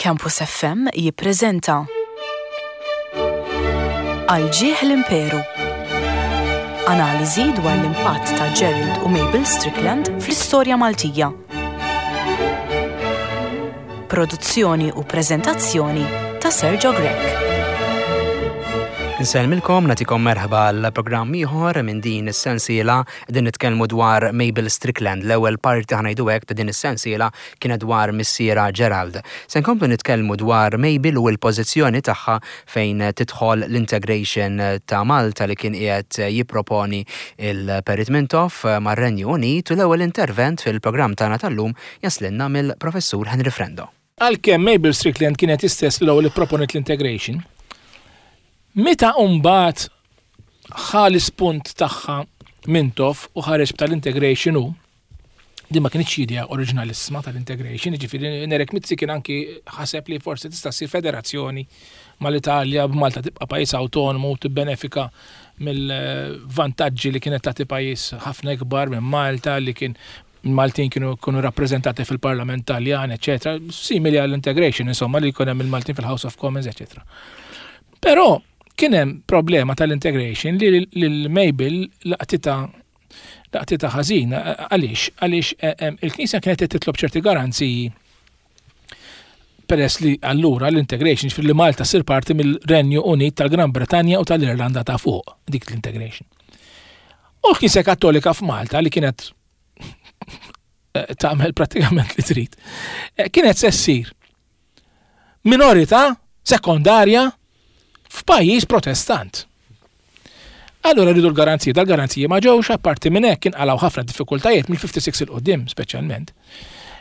Campus FM jippreżenta Għal ġieħ l-Imperu. Analiżi dwar l-impatt ta' Gerald u Mabel Strickland fl-istorja Maltija. Produzzjoni u preżentazzjoni ta' Sergio Grech. Insellmilkom, nagħtikom merħba għal programm ieħor minn din is-sensiela qegħdin nitkellmu dwar Mabel Strickland. L-ewwel parti ħa ngħidu hekk ta' din is-sensiela kienet dwar missierha Gerald. Se nkomplu nitkellmu dwar Mabel u l-pożizzjoni tagħha fejn tidħol l-integration ta' Malta li kien qiegħed jipproponi il-Perit Mintoff mar-Renju Unit u l-ewwel intervent fil-programm tagħna tal-lum jaslilna mill-Professur Henry Frendo. Għalkemm Mabel Strickland kienet hi stess l-ewwel li pproponiet l-integration, meta mbagħad ħa l-ispunt tagħha Mintoff u ħareġ b'tal-integration hu, Din ma kinitx idea oriġinalissima tal-integration, jiġifieri Nerek Mizzi kien anki ħaseb li forsi tista' ssir federazzjoni mal-Italja b'Malta tibqa' pajjiż awtonomu u tibbenefika mill-vantaġġi li kienet tagħti pajjiż ħafna ikbar minn Malta li kien il-Maltin kienu jkunu rappreżentati fil-Parlament Taljan, eċetera, simili għall-integration, insomma, li jkun hemm il-Maltin fil-House of Commons, eċetera. Però kien hemm problema tal-integration li lil Mabel laqtitha Laqtitha ħażin, għaliex? Għaliex eh, eh, il-Knisja kienet qed titlob ċerti garanziji peress li allura l-integration ġifieri li Malta ssir parti mill-Renju Unit tal-Gran Bretanja u tal-Irlanda ta' fuq dik l-integration. U l-Knisja Kattolika f'Malta li kienet eh, tagħmel prattikament li trid, kienet se ssir minorità sekondarja f'pajjiż protestant. Allura rridu l-garanziji, dal-garanziji ma ġewx, apparti minn hekk inqalgħu ħafna diffikultajiet mill-56 il qudiem speċjalment.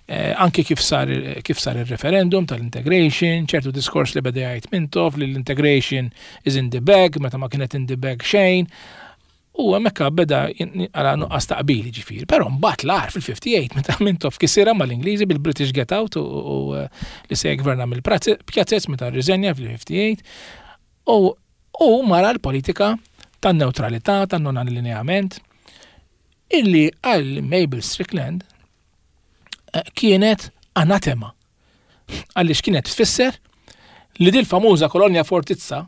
Eh, anki kif sar kif sar il-referendum tal-integration, ċertu diskors li beda jgħid Mintoff li l-integration is in the bag, meta ma kienet in the bag xejn. U hemmhekk beda għala nuqqas ta' qbil ġifieri. Però mbagħad l-agħar fil-58 meta Mintoff kisirha mal-Ingliżi bil-British Get Out u eh, li se jgverna mill-pjazzez meta rriżenja fil-58 u u mara l-politika tan-newtralità, tan-non-allineament illi għal Mabel Strickland eh, kienet anatema. Għaliex kienet tfisser li dil famuża kolonja fortizza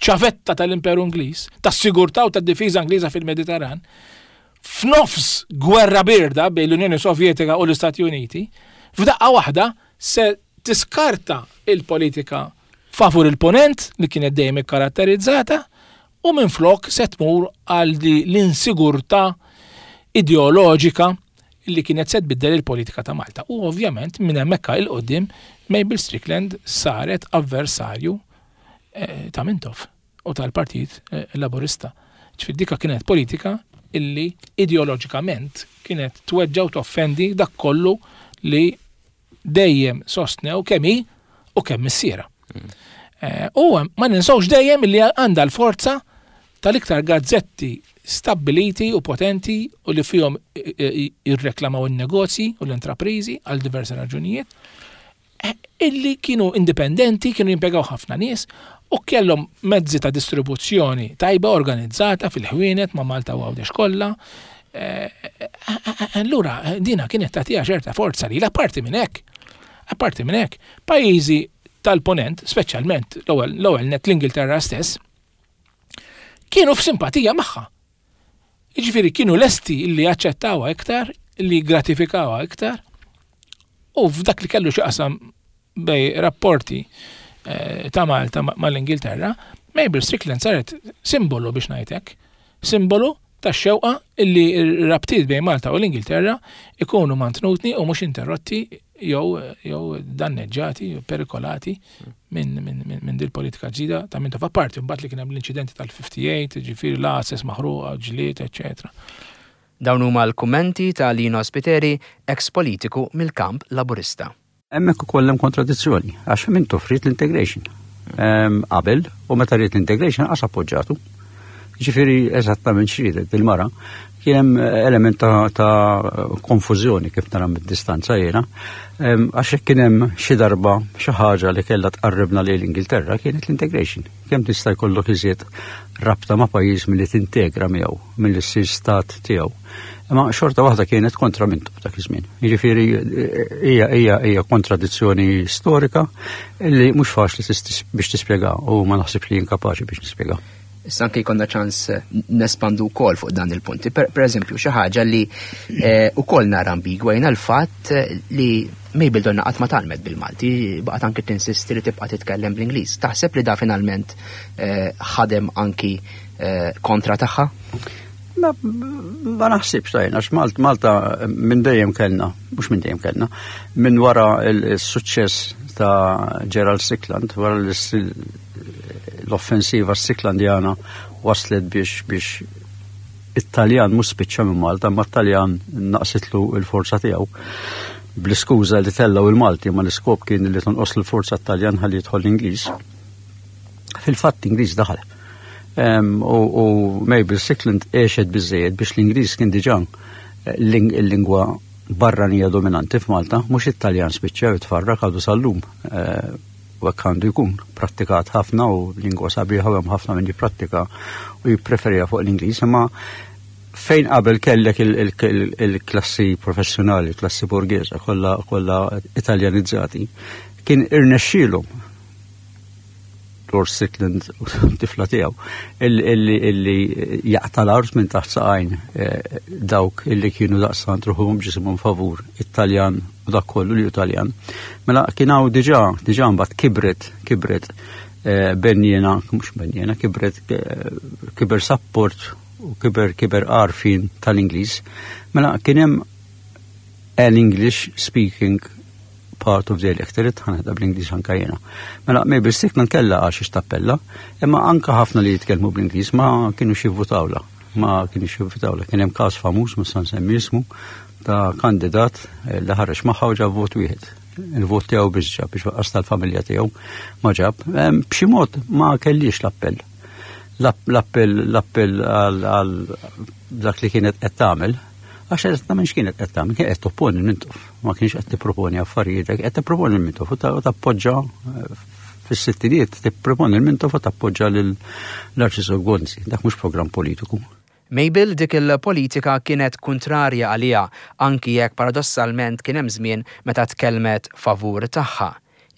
ċavetta tal-Imperu Ingliż, tas-sigurtà u tad-difiża Ingliża fil-Mediterran, f'nofs gwerra birda bejn l-Unjoni Sovjetika u l-Istati Uniti, f'daqqa waħda se tiskarta il-politika favur il-Punent li kienet dejjem ikkaratterizzata u minflok se tmur għal l-insigurtà ideoloġika li kienet se tbiddel il-politika ta' Malta. U ovvjament minn hemmhekk 'il quddiem Mabel Strickland saret avversarju eh, ta' Mintoff u tal-Partit eh, Laburista. Ġifieri dika kienet politika illi ideoloġikament kienet tweġġa' u toffendi dak kollu li dejjem sostnew kemm hi u kemm missierha. Mm. Eh, u ma ninsawx dejjem li għandha l-forza tal-iktar gazzetti stabbiliti u potenti u li fihom jirreklamaw in-negozji u l-intraprizi għal diversi raġunijiet illi kienu indipendenti, kienu jimpjegaw ħafna nies u kellhom mezzi ta' distribuzzjoni tajba organizzata fil-ħwienet ma' Malta u Għawdex kollha. Eh, allura dina kienet tagħtiha ċerta forza li apparti minn hekk, apparti minn hekk, pajjiżi tal-ponent, speċjalment l-ewwel net l-Ingilterra stess, kienu f'simpatija magħha. Jiġifieri kienu lesti li jaċċettawha iktar, li jgratifikawha iktar, u f'dak li kellu xi qasam bej rapporti eh, ta' Malta mal-Ingilterra, Mabel Strickland saret simbolu biex ngħidlek, simbolu ta' xewqa illi r-rabtiet bejn Malta u l-Ingilterra ikunu mantnutni u mhux interrotti jew jew danneġġati, perikolati minn min, min, min dil-politika ġdida ta' minn ta' parti, mbagħad li kien hemm l-inċidenti tal-58, ġifieri l-għases maħruqa, ġlied, eċetera. Dawn huma l-kummenti ta' Lino Spiteri, eks politiku mill-kamp Laburista. Hemmhekk ukoll hemm kontradizzjoni għax Mintoff ried l-integration. Ehm, qabel u meta ried l-integration qas appoġġatu. Ġifieri eżattament x'riedet il-mara kien hemm element ta', ta konfużjoni kif nara mid-distanza jiena. Ehm, għax hekk kien hemm xi darba xi ħaġa li kellha tqarribna lejn l-Ingilterra kienet l-integration. Kemm tista' jkollok iżjed rabta ma' pajjiż milli tintegra miegħu, milli ssir stat tiegħu. Imma xorta waħda kienet kontra Mintoff dak iż-żmien. Jiġifieri hija hija hija kontradizzjoni storika li mhux faċli biex tispjega u ma naħsibx li jien kapaċi biex nispjega. Issa anke jkollna ċans nespandu wkoll fuq dan il-punti. Per, per eżempju, xi ħaġa li eh, ukoll nara ambigwa jiena l-fatt li Mabel donna qatt ma talmet bil-Malti, baqgħet anke tinsisti li tibqa' titkellem bl-Ingliż. Taħseb li da finalment eh, ħadem anki eh, kontra tagħha? Ma, ma naħsibx tajna, għax Malta minn dejjem kellna, mhux minn dejjem kellna, minn wara il-suċċess ta' Gerald Strickland, wara l-offensiva Stricklandjana waslet biex biex it-Taljan mhux spiċċa minn Malta, ma t-Taljan naqsitlu l-forza tiegħu bl-iskuża li tellgħu il-Malti, ma l-iskop kien li tonqos l-forza t-Taljan ħalli jidħol l-Ingliż. Fil-fatt Ingliż daħal. U Mabel Strickland għexet biżejjed biex l-Ingliż kien diġà eh, l-lingwa barranija dominanti f'Malta, mhux it-Taljan spiċċa jitfarrak għadu sal-lum. Eh, u hekk għandu jkun prattikat ħafna u lingwa sabiħa u hemm ħafna min jipprattika u jippreferija fuq l-Ingliż, imma fejn qabel kellek il-klassi professjonali, il-klassi borghesa, kollha kollha Italjanizzati, kien irnexxielhom Lord Strickland u tifla tiegħu illi jaqta' l-art minn taħt saqajn eh, dawk illi kienu daqstant ruħhom ġisimhom favur it-Taljan u dak kollu li Taljan. Mela kien hawn diġà diġà mbagħad kibret kibret eh, benjena, mhux benjena, kibret eh, kiber support u kiber kiber għarfien tal-Ingliż. Mela kien hemm an English speaking part of the electorate, ħanħedha bl-Ingliż anka jiena. Mela, Mabel Strickland kellha għal xiex tappella, imma anka ħafna li jitkellmu bl-Ingliż ma kienu jivvutawla. Ma kienu jivvutawla. Kien hemm każ famuż, ma sa nsemmi ismu, ta' kandidat eh, li ħareġ magħha u ġab vot wieħed. Il-vot tiegħu biex ġab biex waqqas tal-familja tiegħu ma ġab. B'xi mod ma kellix l-appell. L-appell l-appell għal dak li kienet qed tagħmel Għax eżattament x'kienet qed tagħmel, kienet qed topponi l-Mintoff, ma kienx qed tipproponi affarijiet, qed tipproponi l-Mintoff u tappoġġa eh, fis-sittinijiet tipproponi l-Mintoff u tappoġġa lill-Arċisqof Gonzi. Dak mhux programm politiku. Mabel dik il-politika kienet kuntrarja għaliha anki jekk paradossalment kien hemm żmien meta tkellmet favur tagħha.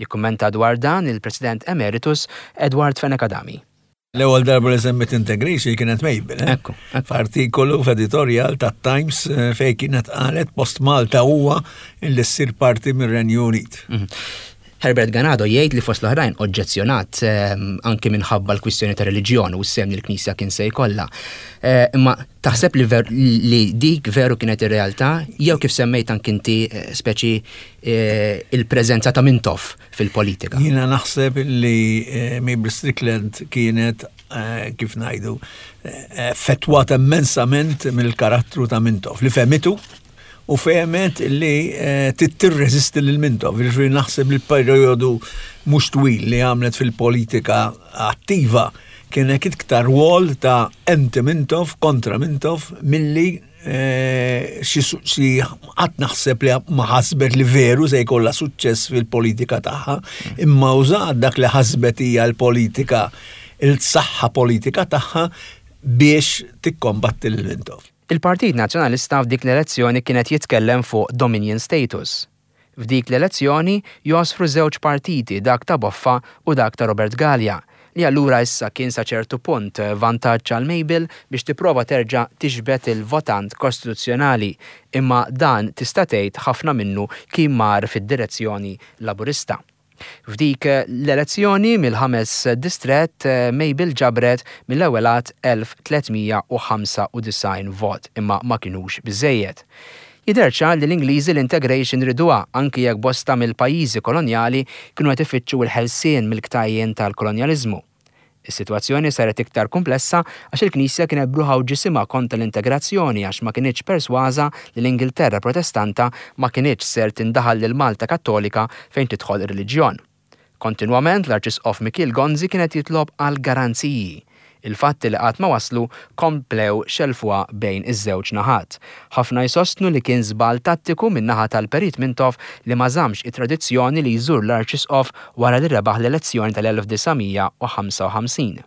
Jikkummenta dwar dan il-President Emeritus Edward Fenech Adami. L-ewwel darba li semmet integration kienet Mabel. Eh? Ekku. F'artikolu f'editorial ta' Times eh, fej kienet qalet post Malta huwa li ssir parti mir-Renju Unit. Mhm. Herbert Ganado jgħid li fost l-oħrajn oġġezzjonat ehm, anki minħabba l-kwistjoni ta' reliġjon u s-sem li l-Knisja kien se jkollha. Eh, imma taħseb li, li dik veru kienet ir-realtà jew kif semmejt anki inti eh, speċi il-preżenza ta' Mintoff fil-politika. Jiena naħseb li eh, Mabel Strickland kienet eh, kif ngħidu eh, effettwata immensament mill-karattru ta' Mintoff li fehmitu u fehmet li tirreżisti lil Mintoff. Jiġifieri naħseb li l-perjodu mhux twil li għamlet fil-politika attiva kienet iktar rwol ta' anti Mintoff kontra Mintoff milli Eh, xi qatt naħseb li ma ħasbet li veru se jkollha suċċess fil-politika tagħha, imma użat dak li ħasbet hija l-politika il-saħħa politika tagħha biex tikkombatti lil Mintoff. Il-Partit Nazzjonalista f'dik l-elezzjoni kien qed jitkellem fuq Dominion Status. F'dik l-elezzjoni jogħsfru żewġ partiti dak ta' Boffa u dak ta' Robert Galea, li allura issa kien sa ċertu punt vantaġġ għal Mabel biex tipprova terġa' tiġbed il-votant kostituzzjonali, imma dan tista' tgħid ħafna minnu kien mar fid-direzzjoni Laburista. F'dik l-elezzjoni mill-ħames distrett Mabel ġabret mill-ewwel għadd 1,395 vot imma ma kinux biżżejjed. Jidher ċar li l-Ingliżi l-integration riduha anki jekk bosta mill-pajjiżi kolonjali kienu qed ifittxu l-ħelsien mill-ktajjen tal-kolonjaliżmu. Is-sitwazzjoni saret iktar kumplessa għax il-Knisja kienet b'ruħha u ġisimha kontra l-integrazzjoni għax ma kinitx persważa li l-Ingilterra Protestanta ma kinitx ser tindaħal lil Malta Kattolika fejn tidħol ir-reliġjon. Kontinwament l-Arċisqof Mikiel Gonzi kien qed jitlob għal garanziji. Il-fatti li qatt ma waslu komplew xellfuha bejn iż-żewġ naħat. Ħafna jsostnu li kien żball tattiku min-naħa tal-Perit Mintoff li ma żammx it-tradizzjoni li jżur l-Arċisqof wara li rebaħ l-elezzjoni tal-1955.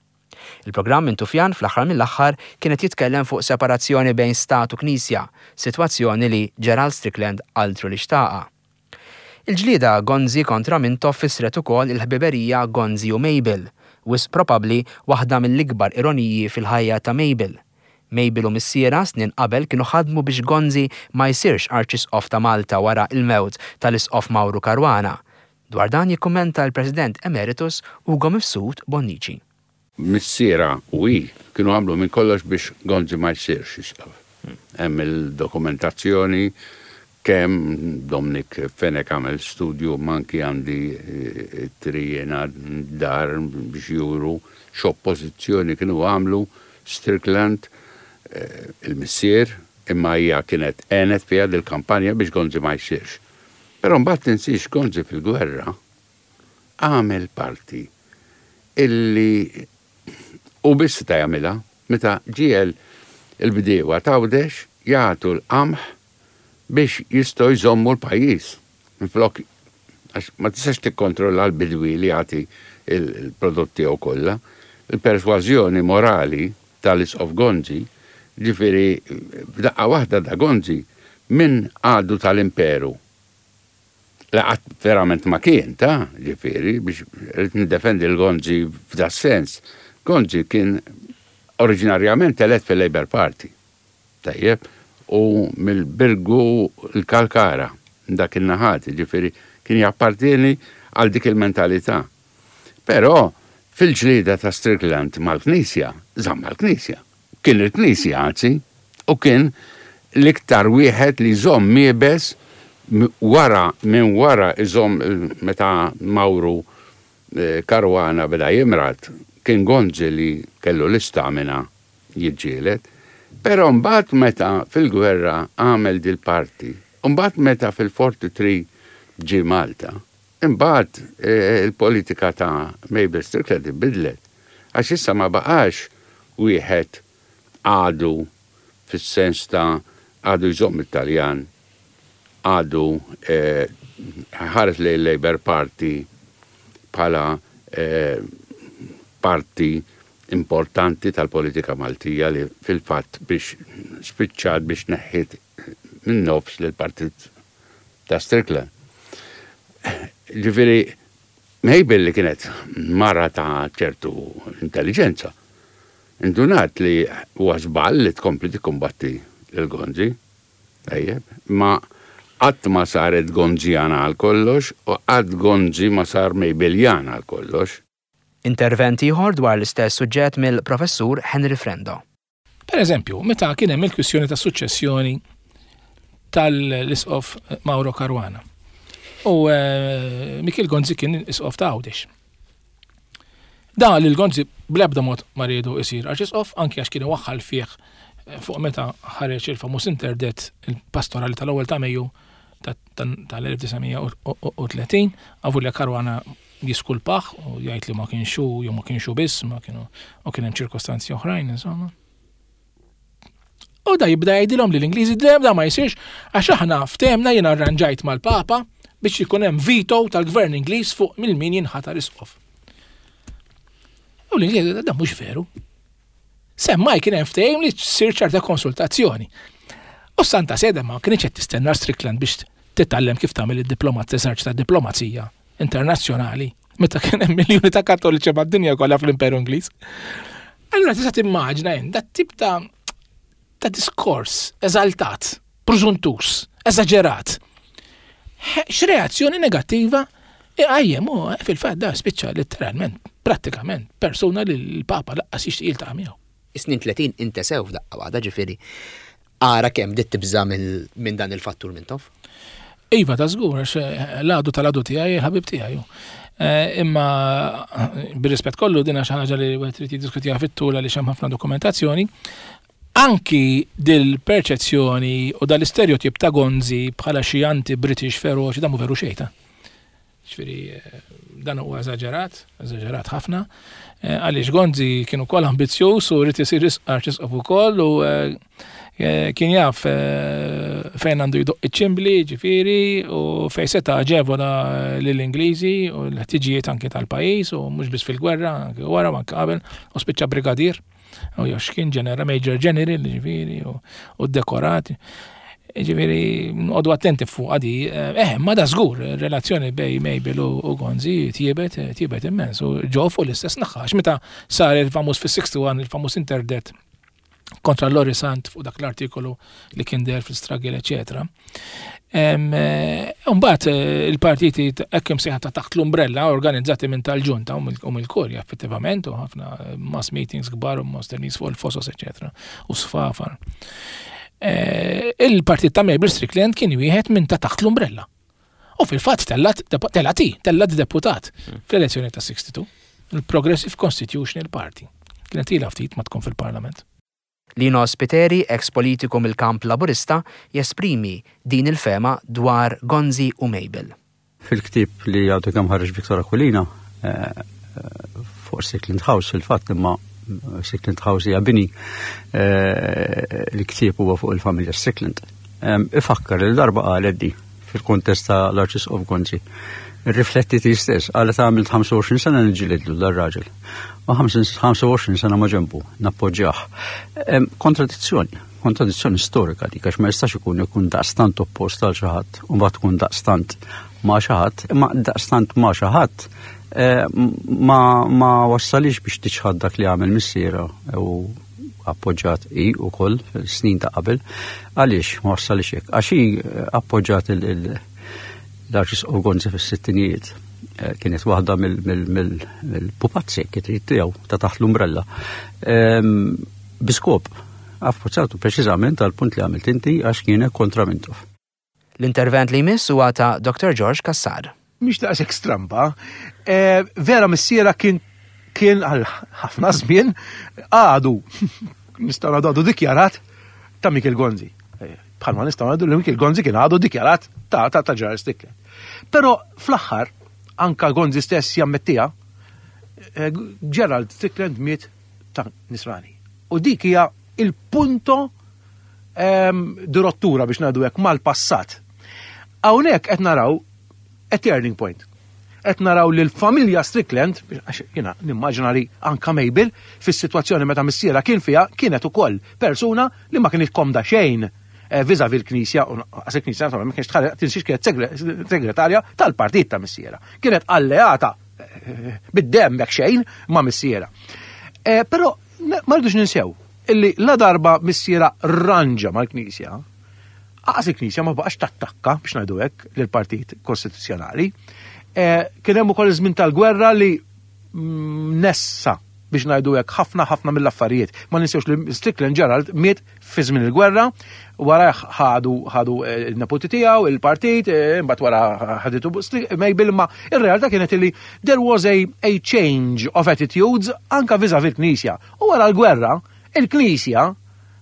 Il-programm Mintufjan fl-aħħar mill-aħħar kien qed jitkellem fuq separazzjoni bejn Stat u Knisja, sitwazzjoni li Gerald Strickland altru li xtaqha. Il-ġlieda Gonzi kontra Mintoff fissret ukoll il-ħbiberija Gonzi u Mabel, wisq probabbli waħda mill-ikbar ironiji fil-ħajja ta' Mabel. Mabel u missierha snin qabel kienu ħadmu biex Gonzi ma jsirx Arċisqof ta' Malta wara l-mewt tal-Isqof Mauru Caruana. Dwar dan jikkummenta l-President Emeritus Ugo Mifsud Bonnici. Missierha u hi kienu għamlu minn kollox biex Gonzi ma jsirx isqof. Hemm il-dokumentazzjoni kemm Dominic Fenech għamel studju imma anki għandi ittri jiena d-dar biex juru x'oppożizzjoni kienu għamlu Strickland, il-missier, imma hija kienet għenet fiha dil-kampanja biex Gonzi ma jsirx. Però mbagħad tinsiex Gonzi fil-gwerra għamel parti illi hu biss seta' jagħmilha meta ġiegħel il-bdiewa t'Għawdex jagħtu l-qamħ biex jistgħu jżommu l-pajjiż minflok għax ma tistax tikkontrolla l-bidwi li jagħti l-prodott tiegħu kollha. Il-persważjoni morali tal-Isqof Gonzi, ġifieri f'daqqa waħda da Gonzi minn għadu tal-Imperu li qatt verament ma kien, ta, ġifieri, biex rrid niddefendi lil Gonzi f'da sens. Gonzi kien oriġinarjament elett fil-Labour Party. Tajjeb, u mill-Birgu l-Kalkara, dak in-naħat, ġifieri kien jappartieni għal dik il-mentalità. Però fil-ġlieda ta' Strickland mal-Knisja, żamm mal-Knisja. Kien il-Knisja, anzi, u kien l-iktar wieħed li jżomm iebes wara minn wara jżomm meta Mawru Caruana beda jimrad, kien Gonzi li kellu l-istamina jiġġieled. Però mbagħad meta fil-gwerra għamel dil-parti, u mbagħad meta fil-43 ġie Malta, Imbagħad il-politika ta' Mabel Strickland inbidlet għax issa ma baqax wieħed għadu fis-sens ta' għadu jżomm it-Taljan, għadu ħares lejn il-Labour Party bħala parti importanti tal-politika Maltija li fil-fatt biex spiċċat biex neħħiet min-nofs lill-Partit ta' Strickland. Ġifieri, Mabel li kienet mara ta' ċertu intelliġenza, indunat li huwa żball li tkompli tikkumbatti lil Gonzi. Tajjeb, ma qatt ma saret Gonzjana għal kollox u qatt Gonzi ma sar Mabeljan għal kollox. Intervent ieħor dwar l-istess suġġett mill-Professur Henry Frendo. Per eżempju, meta kien hemm il-kwistjoni ta' suċċessjoni tal-isqof Mauro Caruana. U eh, Mikiel Gonzi kien isqof ta' Għawdex. Da li l-Gonzi bl-ebda mod ma riedu isir arċisqof, anki għax kien iwaħħal fih eh, fuq meta ħareġ il-famuż interdet il-pastorali tal-ewwel ta' Mejju tal-1930, għavu li Caruana jiskulpah u jgħid li ma kienx hu jew ma kienx hu biss, ma kienu u kien hemm ċirkostanzi oħrajn insomma. U da jibda jgħidilhom li l-Ingliżi dejjem da ma jsirx għax aħna ftehmna jien arranġajt mal-Papa biex ikun hemm veto tal-Gvern Ingliż fuq mil min jinħatar isqof. U l-Ingliżi da mhux veru. Semmai kien hemm ftehim li ssir ċerta konsultazzjoni. U Santa Sede ma kienx qed tistenna Strickland biex titgħallem kif tagħmel id-diplomat eżerċita diplomazija internazzjonali meta kien hemm miljuni ta' kattoliċi mad-dinja kollha fl-Imperu Ingliż. Allura tista' timmaġina jien dat tip ta' ta' diskors eżaltat, prużuntus, eżaġerat. X'reazzjoni negattiva iqajjem u eh, fil-fatt da spiċċa letteralment, prattikament, persuna li l-Papa laqqas jixtieq jiltaqa' miegħu. Is-snin 30 intesew f'daqqa waħda ġifieri ara kemm bdiet tibża' minn dan il-fattur Mintoff. Iva, ta' żgur, għax eh, l-għadu tal-għadu tiegħi il-ħabib tiegħi. Eh, imma bir-rispett kollu din xi ħaġa li wieħed trid jiddiskutiha fit-tul għaliex hemm ħafna dokumentazzjoni. Anki dil-perċezzjoni u dal-istereotip ta' Gonzi bħala xi anti-British feroċi dan mhu veru xejn ta'. Ġifieri dan huwa eżaġerat, eżaġerat ħafna, eh, għaliex Gonzi kien ukoll ambizzjuż u rrid isir arċisqof ukoll u eh, eh, kien jaf fejn għandu jdoqq iċ-ċimbli, ġifieri, u fejn seta' aġevola lill-Ingliżi u l-ħtiġijiet anke tal-pajjiż u mhux biss fil-gwerra, anke wara u anke qabel, u spiċċa brigadier, u jew x'kien ġenera, major general, ġifieri, u dekorat. Ġifieri, noqogħdu attenti fuq di. Eh, ma da żgur, relazzjoni bej Mabel u Gonzi tjiebet, tjiebet immens u ġew fuq l-istess naħa. Għax meta sar il-famuż fis-61, il-famuż interdet kontra Lori Sant fuq dak l-artikolu li kien der fil-Struggle, eccetera. Mbagħad eh, il-partiti hekk imsejħa ta' taħt l-umbrella organizzati minn tal-ġunta u mill-kurja effettivament u ħafna eh, mass meetings kbar u mosternis fuq il-fosos, eccetera, u sfafar. Eh, il-partit ta' Mabel Strickland kien wieħed minn ta' taħt l-umbrella. U fil-fatt tellat tellati, tellat deputat fl-elezzjoni ta' 62, il-Progressive Constitutional Party. Kienet ilha ftit ma tkun fil-Parlament. Lino Spiteri, eks politiku mill-kamp Laburista, jesprimi din il-fehma dwar Gonzi u Mabel. Fil-ktieb li għadu kemm ħareġ Victor Aquilina, eh, fuq Strickland House fil-fatt imma Strickland House hija bini eh, l-ktieb huwa fuq il-familja Strickland. Ifakkar li darba qalet di fil-kontest ta' l-Arċisqof Gonzi. Rifletti ti stess, qalet għamilt 25 sena niġġilidlu dar-raġel. U 25 sena ma ġembu, nappoġġjah. Kontradizzjoni, kontradizzjoni storika dik, għax ma jistax ikun ikun daqstant oppost għal xi ħadd u mbagħad tkun daqstant ma' xi ħadd, imma daqstant ma' xi ħadd eh, ma, ma wassalix biex tiċħad dak li għamel missiera u appoġġat hi wkoll snin ta' qabel. Għaliex ma wassalix hekk? Għax hi eh, appoġġat l-Arċisqof Gonzi fis-sittinijiet. Eh, kienet waħda mill-pupazzi kif tiegħu ta' taħt l-umbrella. Ehm, biskop, appoġġatu preċiżament għal punt li għamilt inti għax kienet kontra Mintoff. L-intervent li jmiss huwa ta' Dr. George Cassar. Mhix daqshekk stramba. Eh, vera missiera kien kien għal ħafna żmien għadu nistgħu ngħidu għadu dikjarat ta' Mikel Gonzi. Eh, bħalma nistgħu ngħidu li Mikel Gonzi kien għadu dikjarat ta' ta' ta' Gerald Stickler. Però fl-aħħar anka Gonzi stess jammettija eh, Gerald Strickland miet ta' Nisrani. U dik hija il-punto ehm, di rottura biex ngħidu hekk mal-passat. Hawnhekk qed naraw a turning point. Qed naraw li l-familja Strickland, għax jiena nimmaġina li anka Mabel fis-sitwazzjoni meta missiera kien fiha kienet ukoll persuna li ma kienx komda xejn eh, vis-a-vis l-Knisja, u għas il-Knisja naturalment ma kienx tħalli tinsiex kienet segretarja tal-partit ta' missiera. Kienet alleata eh, bid-demm jekk xejn ma' missiera. Eh, però ma rridux ninsew illi la darba missiera rranġa mal-Knisja, aqas il-Knisja ma baqax tattakka biex ngħidu hekk lill-Partit Kostituzzjonali. Eh, kien hemm ukoll iż-żmien tal-gwerra li mm, nessa biex ngħidu hekk ħafna ħafna mill-affarijiet. Ma ninsewx li Strickland Gerald miet fi żmien il-gwerra, wara ħadu ħadu eh, il-neputi tiegħu, il-partit, eh, imbagħad wara ħaditu Mabel, imma ir-realtà kienet li there was a, a change of attitudes anka vis-a-vis il-Knisja. U wara l-gwerra, il-Knisja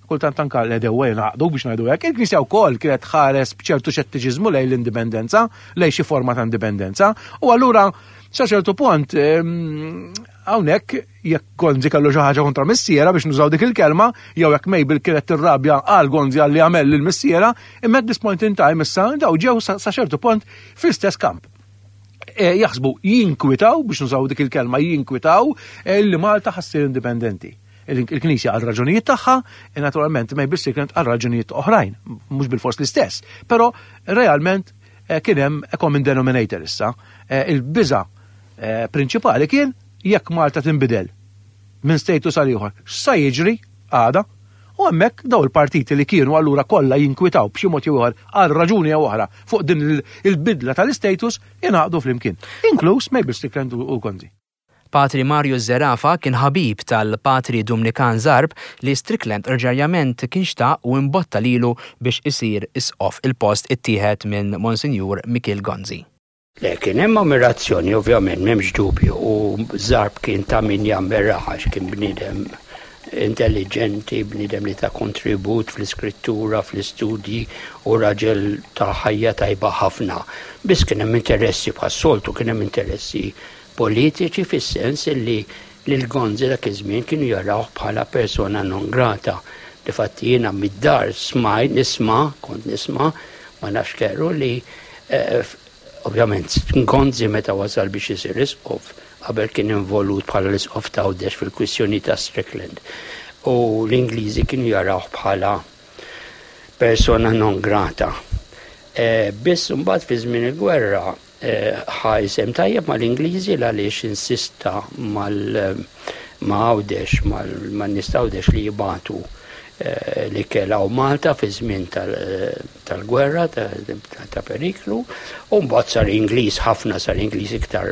kultant anka l-edewa jingħaqdu biex ngħidu hekk, il-Knisja wkoll kienet tħares b'ċertu xettiċiżmu lejn l-indipendenza, lejn xi forma ta' indipendenza, u allura sa ċertu punt ehm, hawnhekk jekk Gonzi kellu xi ħaġa kontra missiera biex nużaw dik il-kelma, jew jekk Mabel kienet tirrabja għal Gonzi għal li għamel lil missiera, imma at this point in time issa daw ġew sa ċertu punt fl-istess kamp. E, jaħsbu jinkwitaw biex nużaw dik il-kelma jinkwitaw e, li Malta ħassir indipendenti. Il-Knisja għal raġunijiet tagħha, e naturalment Mabel Strickland għal raġunijiet oħrajn, mhux bil-fors l-istess, però realment kien hemm a common denominator issa. Il-biża prinċipali kien jekk Malta tinbidel minn status għal ieħor, x'sa jiġri għada? U hemmhekk daw il-partiti li kienu allura kollha jinkwitaw b'xi mod jew ieħor għal raġuni jew oħra fuq din il-bidla tal-istatus ingħaqdu flimkien, inkluż Mabel Strickland u Gonzi. Patri Mario Zerafa kien ħabib tal-Patri Dumnikan Zarb li Strickland rġarjament kien xtaq u imbotta lilu biex isir isqof. Il-post ittieħed minn Monsinjur Mikiel Gonzi. Le, kien hemm ammirazzjoni ovvjament m'hemmx dubju u Zarb kien ta' min jammirah għax kien bniedem intelliġenti, bniedem li ta kontribut fl-iskrittura, fl-istudji u raġel ta' ħajja tajba ħafna. Biss kien hemm interessi bħas-soltu kien hemm interessi politiċi fis-sens li lil Gonzi dak iż-żmien kienu jarawh bħala persona non grata. Difatti jiena mid-dar smajt nisma', kont nisma', ma nafx keru li eh, ovvjament Gonzi meta wasal biex isir isqof qabel kien involut bħala l-isqof ta' Għawdex fil-kwistjoni ta' Strickland. U l-Ingliżi kienu jarawh bħala persona non grata. Eh, biss mbagħad fi żmien il-gwerra eh, ħa isem tajjeb mal-Ingliżi għaliex insista mal ma' Għawdex, man-nies ta' Għawdex li jibatu eh, li kelaw Malta fi żmien tal-gwerra ta' periklu, u mbagħad sar Ingliż ħafna sar Ingliż iktar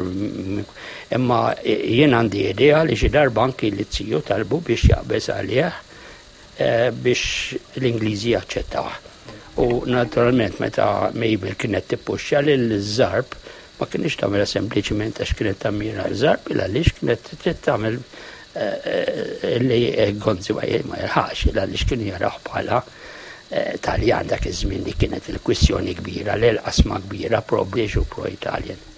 imma jien għandi idea li xi darba anki li ziju talbu biex jaqbeż għalih eh, biex l-Ingliżi jaċċettawh. U naturalment meta Mabel kienet tippuxxa lil Zarb ma kienx tagħmilha sempliċiment għax kienet tammira Zarb il għaliex kienet trid tagħmel eh, li Gonzi ma jilħaqx il għaliex kienu jaraw bħala eh, Taljan dak iż-żmien li kienet il-kwistjoni kbira, l-qasma kbira pro-British u pro-Italjan.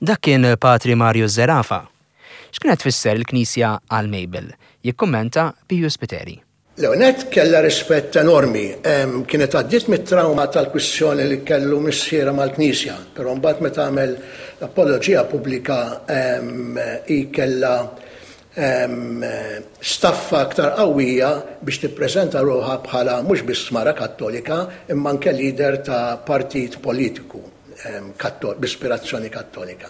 Dak kien Patri Mario Zerafa. X'kienet tfisser il-Knisja għal Mabel? Jikkummenta Piju Spiteri. L-ewwel nett kellha rispett enormi. Kienet għaddiet mit-trawma tal-kwistjoni li kellu missierha mal-Knisja, però mbagħad meta għamel l-apoloġija pubblika hi kellha staffa aktar qawwija biex tippreżenta ruħha bħala mhux biss mara Kattolika imma anke leader ta' partit politiku b'ispirazzjoni Kattolika.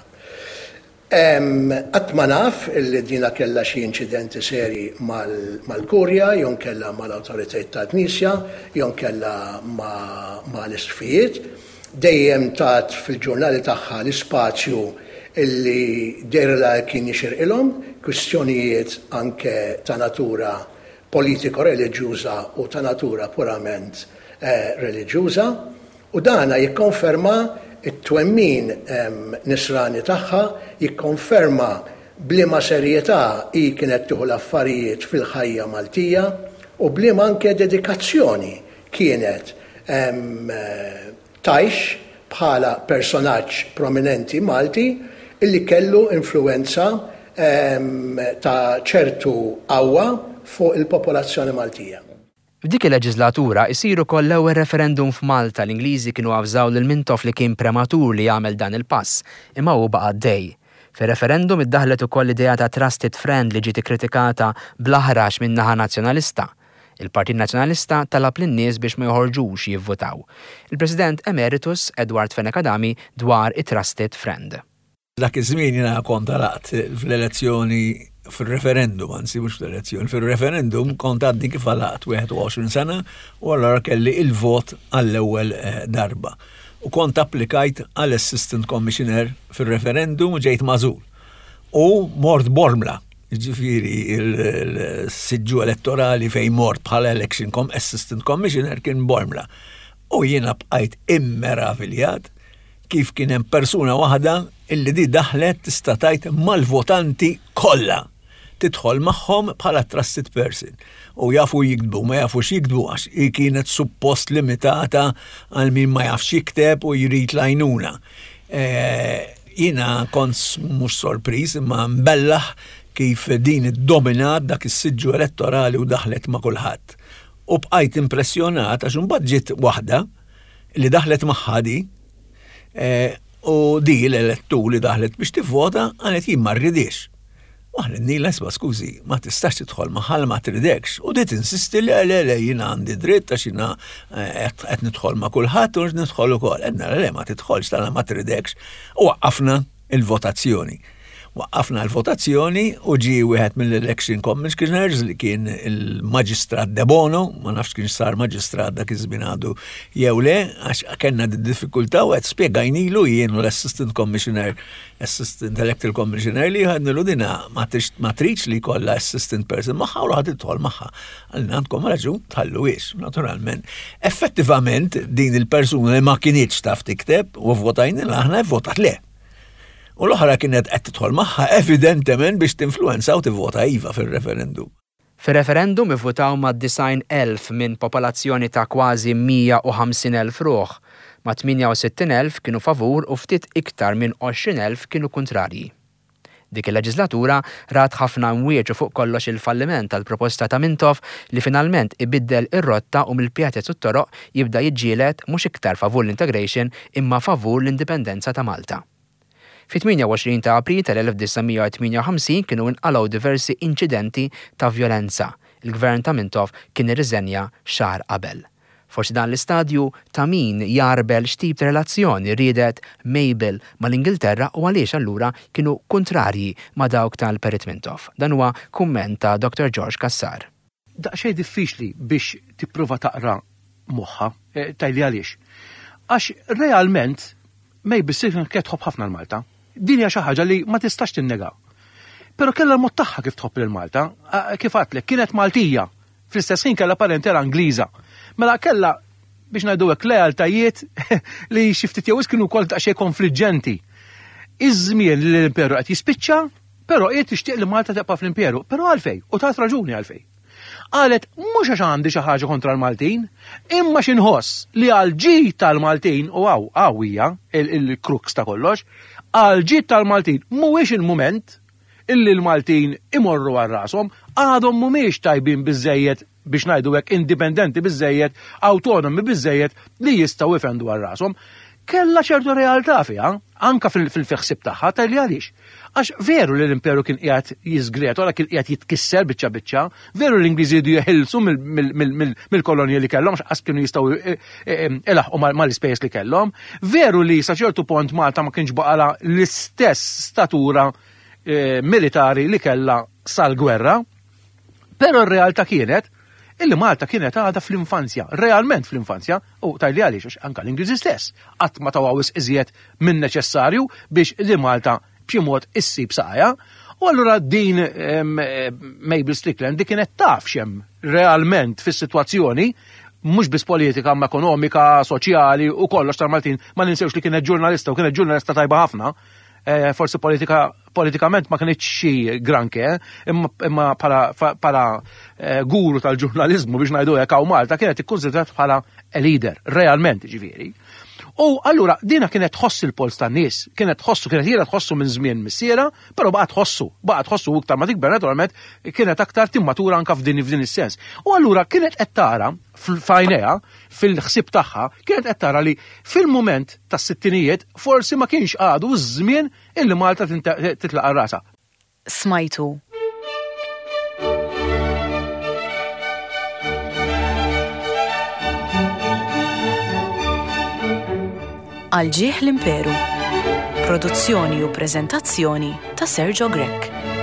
Qatt ma naf illi dina kellha xi inċidenti serji mal-Kurja jew nkella mal-awtoritajiet tal-Knisja jew nkella mal-isqfijiet. Dejjem tat fil-ġurnali tagħha l-ispazju illi dehrilha kien jixirqilhom, kwistjonijiet anke ta' natura politiko-reliġjuża u ta' natura purament reliġjuża. U dana jikkonferma t-twemmin Nisrani tagħha, jikkonferma b'liema serjetà hi kienet tieħu l-affarijiet fil-ħajja Maltija u b'liema anke dedikazzjoni kienet tgħix bħala personaġġ prominenti Malti illi kellu influwenza ta' ċertu qawwa fuq il-popolazzjoni Maltija. F'dik il-leġislatura isir ukoll l-ewwel referendum f'Malta, l-Ingliżi kienu avżaw lil Mintoff li kien prematur li jagħmel dan il-pass, imma hu baqa' għaddej. Fir-referendum iddaħħlet ukoll l-idea ta' trusted friend li ġiet ikkritikata bl-aħrax min-naħa Nazzjonalista. Il-Partit Nazzjonalista talab lin-nies biex ma joħorġux jivvutaw. Il-President Emeritus Edward Fenech Adami dwar it-trusted friend. Dak iż-żmien jiena kont għalaqt fl-elezzjoni fil-referendum, anzi mhux fl-elezzjoni, fil-referendum kont għadni kif għalaqt 21 sena u allura kelli il-vot għall-ewwel eh, darba. U kont applikajt għal assistant commissioner fil-referendum u ġejt mażul. U mort Bormla, ġifiri il-siġġu elettorali fejn mort bħala election com assistant commissioner kien Bormla. U jiena bqajt immeraviljat kif kien hemm persuna waħda illi di daħlet tista' tgħid mal-votanti kollha. Tidħol magħhom bħala trusted person. U jafu jiktbu, ma jafux jiktbu għax hi kienet suppost limitata għal min ma jafx jikteb u jrid l-għajnuna. Eh, jiena kont mhux sorpriż imma mbellaħ kif din iddominat dak is-siġġu elettorali u daħlet ma' kulħadd. U bqajt impressjonat għax imbagħad ġiet waħda li daħlet magħha di eh, u di l-elettur li daħlet biex tivvota qalet jien ma rridix. U aħna nila isma' skużi, ma tistax tidħol magħha ma tridekx. U di tinsisti le le le jiena għandi dritt għax jiena eh, qed nidħol ma' kulħadd u nidħol ukoll. Għedna le ma tidħolx tala ma tridekx. U waqqafna il-votazzjoni. Waqqafna l-votazzjoni u ġie wieħed mill-election commissioners li kien il-Maġistrat De Bono, ma nafx kien sar maġistrat dak iż-żmien għadu jew le, għax kellna diffikultà u qed spjegajnilu jien u l-assistant commissioner, assistant electoral commissioner li għadnilu dina ma tridx li jkollha assistant person magħha u ħad tidħol magħha. Għalina għandkom raġun tħalluhiex, naturalment. Effettivament din il-persuna li ma kinitx taf tikteb u votajnilha aħna votat le. U l-oħra kienet qed tidħol magħha evidentement biex tinfluwenza u tivvota iva fir-referendum. Fir-referendum ivvutaw mad-90,000 minn popolazzjoni ta' kważi 150,000 ruħ. Ma' 68,000 kienu favur u ftit iktar minn 20,000 kienu kuntrarji. Dik il-leġislatura rat ħafna imwieġ u fuq kollox il-falliment tal-proposta ta' Mintoff li finalment ibiddel ir-rotta u mill-pjazez u t-toroq jibda jiġġieled mhux iktar favur l-integration imma favur l-indipendenza ta' Malta. Fit-28 ta' April tal-1958 kienu inqalgħu diversi inċidenti ta' vjolenza. Il-gvern ta' Mintoff kien irriżenja xahar qabel. Forsi dan l-istadju ta' min jgħarbel x'tip ta' relazzjoni riedet Mabel mal-Ingilterra u għaliex allura kienu kuntrarji ma' dawk tal-Perit Mintoff. Dan huwa kumment ta' Dr. George Cassar. Daqsxejn diffiċli biex tipprova taqra moħħha. Tgħidli għaliex? Għax realment Mabel Strickland kienet tħobb ħafna l-Malta. Din hija xi ħaġa li ma tistax tinnega. Però kellha l-mod tagħha kif tħobb lil Malta. Kif għadtlek, kienet Maltija. Fl-istess ħin kellha parentela Ingliża. Mela kellha biex ngħidu hekk lealtajiet li xi ftit jew kienu wkoll daqsxejn konfliġġenti. Iż-żmien li l-imperu qed jispiċċa, però hi tixtieq li Malta tibqa' fl-imperu. Però għalfejn? U tat raġuni għalfejn. Qalet mhux għax għandi xi ħaġa kontra l-Maltin, imma xi nħoss li għal ġid tal-Maltin, u hawn hawn hija il-crux ta' kollox, għal ġid tal-Maltin mhuwiex il-mument illi l-Maltin imorru għal rashom, għadhom mhumiex tajbin biżżejjed biex ngħidu hekk indipendenti biżżejjed, awtonomi biżżejjed li jistgħu jfendu għal rashom. Kellha ċertu realtà fiha, anka fil-ħsieb tagħha, tgħidli għaliex. Għax veru li l-imperu kien qiegħed jiżgretola, kien qiegħed jitkisser biċċa biċċa, veru l-Ingliżi jridu jeħilsu mill-kolonji li kellhom, għax kienu jistgħu ilaħqu mal-ispejjeż li kellhom, veru li sa ċertu pont Malta ma kienx baqala l-istess statura eh, militari li kellha sal-gwerra, però r-realtà kienet illi Malta kienet għadha fl-infanzja, realment fl-infanzja, u tajli għaliex, għax anka l-Ingliżi stess qatt ma taw wisq iżjed minn neċessarju biex li Malta b'xi mod issib saqajha. U allura din Mabel Strickland di kienet taf x'hemm realment fis-sitwazzjoni mhux biss politika ma ekonomika, soċjali u kollox tal-Maltin, ma ninsewx li kienet ġurnalista u kienet ġurnalista tajba ħafna. Eh, forsi politika politikament ma kienx xi granke, imma bħala eh, guru tal-ġurnalizmu biex ngħidu hekk hawn Malta kienet ikkunsidrat bħala a leader, realment ġifieri. U allura dina kienet tħoss il-pols tan-nies, kienet tħossu, kienet jiena tħossu minn żmien missiera, però baqgħet tħossu, baqgħet tħossu iktar ma tikber naturalment kienet aktar timmatura anka f'din f'din is-sens. U allura kienet qed tara f'għajnejha, fil-ħsieb tagħha, kienet qed tara li fil-mument tas-sittinijiet forsi ma kienx għadu ż-żmien illi Malta titlaq għal rasha. Smajtu. Għal ġieħ l-Imperu. Produzzjoni u preżentazzjoni ta' Sergio Grech.